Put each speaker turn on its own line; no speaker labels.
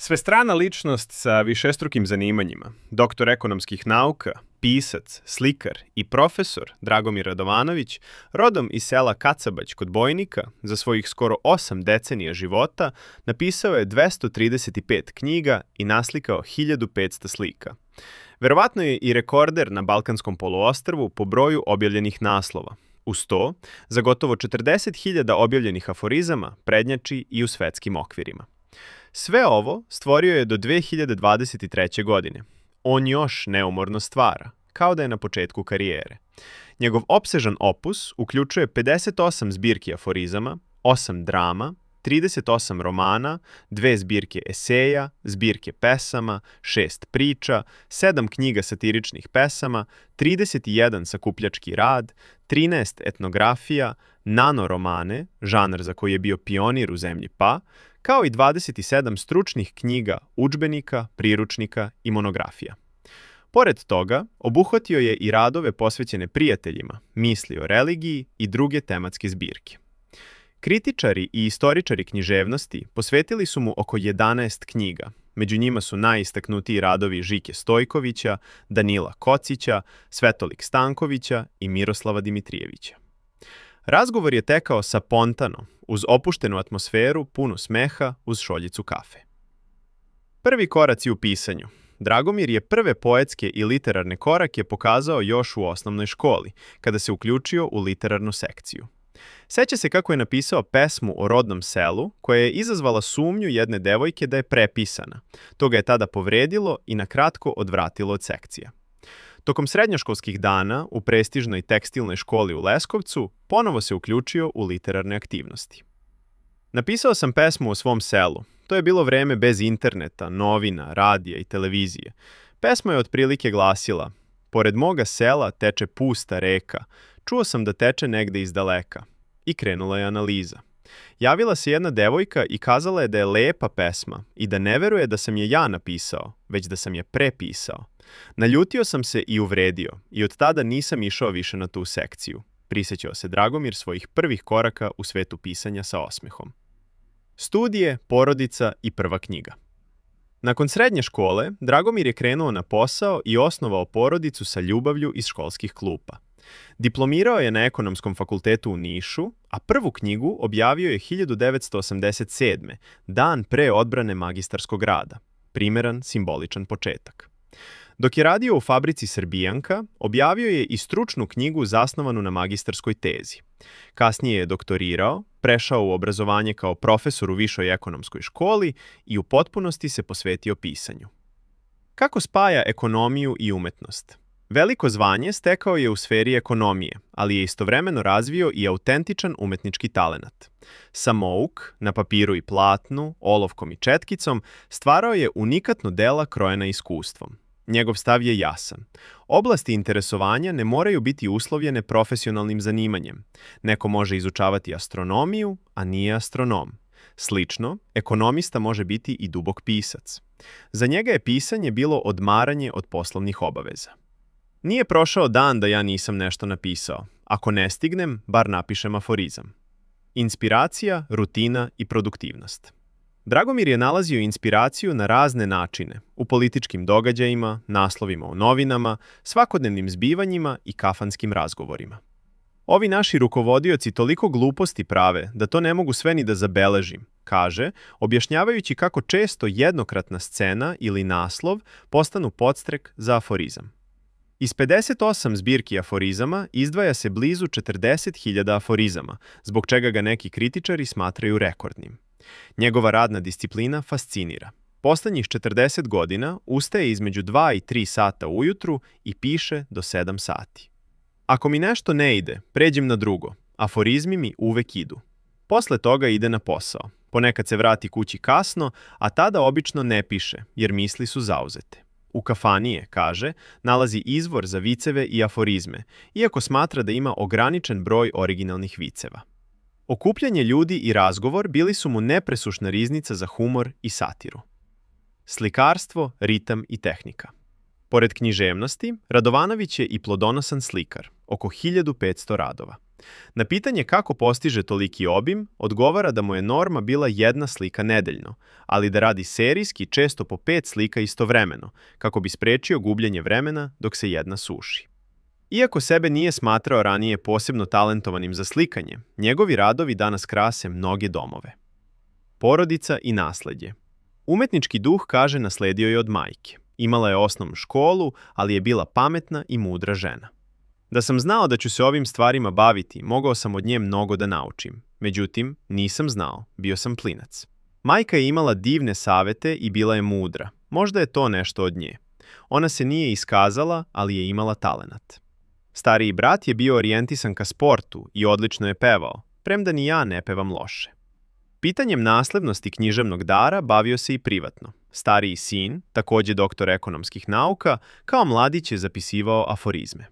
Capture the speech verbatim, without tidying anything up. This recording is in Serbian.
Svestrana ličnost sa višestrukim zanimanjima, doktor ekonomskih nauka, pisac, slikar i profesor Dragomir Radovanović, rodom iz sela Kacabać kod Bojnika, za svojih skoro osam decenija života napisao je dvesta trideset pet knjiga i naslikao hiljadu petsto slika. Verovatno je i rekorder na Balkanskom poluostrvu po broju objavljenih naslova. Uz to, za gotovo četrdeset hiljada objavljenih aforizama prednjači i u svetskim okvirima. Sve ovo stvorio je do dve hiljade dvadeset treće. godine. On još neumorno stvara, kao da je na početku karijere. Njegov opsežan opus uključuje pedeset osam zbirki aforizama, osam drama, trideset osam romana, dve zbirke eseja, zbirke pesama, šest priča, sedam knjiga satiričnih pesama, trideset jedan sakupljački rad, trinaest etnografija, nanoromane, žanr za koji je bio pionir u zemlji Pa, kao i dvadeset sedam stručnih knjiga, udžbenika, priručnika i monografija. Pored toga, obuhvatio je i radove posvećene prijateljima, misli o religiji i druge tematske zbirke. Kritičari i istoričari književnosti posvetili su mu oko jedanaest knjiga. Među njima su najistaknutiji radovi Žike Stojkovića, Danila Kocića, Svetolik Stankovića i Miroslava Dimitrijevića. Razgovor je tekao sapontano, uz opuštenu atmosferu, punu smeha, uz šoljicu kafe. Prvi koraci u pisanju. Dragomir je prve poetske i literarne korake pokazao još u osnovnoj školi, kada se uključio u literarnu sekciju. Seća se kako je napisao pesmu o rodnom selu, koja je izazvala sumnju jedne devojke da je prepisana. To ga je tada povredilo i na kratko odvratilo od sekcija. Tokom srednjoškolskih dana u prestižnoj tekstilnoj školi u Leskovcu ponovo se uključio u literarne aktivnosti. Napisao sam pesmu o svom selu. To je bilo vreme bez interneta, novina, radija i televizije. Pesma je otprilike glasila: pored moga sela teče pusta reka, čuo sam da teče negde iz daleka. I krenula je analiza. Javila se jedna devojka i kazala je da je lepa pesma i da ne veruje da sam je ja napisao, već da sam je prepisao. Naljutio sam se i uvredio i od tada nisam išao više na tu sekciju. Prisjećao se Dragomir svojih prvih koraka u svetu pisanja sa osmehom. Studije, porodica i prva knjiga. Nakon srednje škole, Dragomir je krenuo na posao i osnovao porodicu sa ljubavlju iz školskih klupa. Diplomirao je na Ekonomskom fakultetu u Nišu, a prvu knjigu objavio je hiljadu devetsto osamdeset sedme. dan pre odbrane magistarskog rada. Primeran, simboličan početak. Dok je radio u fabrici Srbijanka, objavio je i stručnu knjigu zasnovanu na magistarskoj tezi. Kasnije je doktorirao, prešao u obrazovanje kao profesor u višoj ekonomskoj školi i u potpunosti se posvetio pisanju. Kako spaja ekonomiju i umetnost? Veliko zvanje stekao je u sferi ekonomije, ali je istovremeno razvio i autentičan umetnički talenat. Samouk, na papiru i platnu, olovkom i četkicom, stvarao je unikatno dela krojena iskustvom. Njegov stav je jasan. Oblasti interesovanja ne moraju biti uslovljene profesionalnim zanimanjem. Neko može izučavati astronomiju, a nije astronom. Slično, ekonomista može biti i dubok pisac. Za njega je pisanje bilo odmaranje od poslovnih obaveza. Nije prošao dan da ja nisam nešto napisao. Ako ne stignem, bar napišem aforizam. Inspiracija, rutina i produktivnost. Dragomir je nalazio inspiraciju na razne načine, u političkim događajima, naslovima u novinama, svakodnevnim zbivanjima i kafanskim razgovorima. Ovi naši rukovodioci toliko gluposti prave da to ne mogu sve ni da zabeležim, kaže, objašnjavajući kako često jednokratna scena ili naslov postanu podstrek za aforizam. Iz pedeset osam zbirki aforizama izdvaja se blizu četrdeset hiljada aforizama, zbog čega ga neki kritičari smatraju rekordnim. Njegova radna disciplina fascinira. Poslednjih četrdeset godina ustaje između dva i tri sata ujutru i piše do sedam sati. Ako mi nešto ne ide, pređem na drugo. Aforizmi mi uvek idu. Posle toga ide na posao. Ponekad se vrati kući kasno, a tada obično ne piše, jer misli su zauzete. U kafani je, kaže, nalazi izvor za viceve i aforizme, iako smatra da ima ograničen broj originalnih viceva. Okupljanje ljudi i razgovor bili su mu nepresušna riznica za humor i satiru. Slikarstvo, ritam i tehnika. Pored književnosti, Radovanović je i plodonosan slikar, oko hiljadu petsto radova. Na pitanje kako postiže toliki obim, odgovara da mu je norma bila jedna slika nedeljno, ali da radi serijski često po pet slika istovremeno, kako bi sprečio gubljenje vremena dok se jedna suši. Iako sebe nije smatrao ranije posebno talentovanim za slikanje, njegovi radovi danas krase mnoge domove. Porodica i nasledje. Umetnički duh, kaže, nasledio je od majke. Imala je osnovnu školu, ali je bila pametna i mudra žena. Da sam znao da ću se ovim stvarima baviti, mogao sam od nje mnogo da naučim. Međutim, nisam znao, bio sam klinac. Majka je imala divne savete i bila je mudra. Možda je to nešto od nje. Ona se nije iskazala, ali je imala talenat. Stariji brat je bio orijentisan ka sportu i odlično je pevao, premda ni ja ne pevam loše. Pitanjem naslednosti književnog dara bavio se i privatno. Stariji sin, takođe doktor ekonomskih nauka, kao mladić je zapisivao aforizme.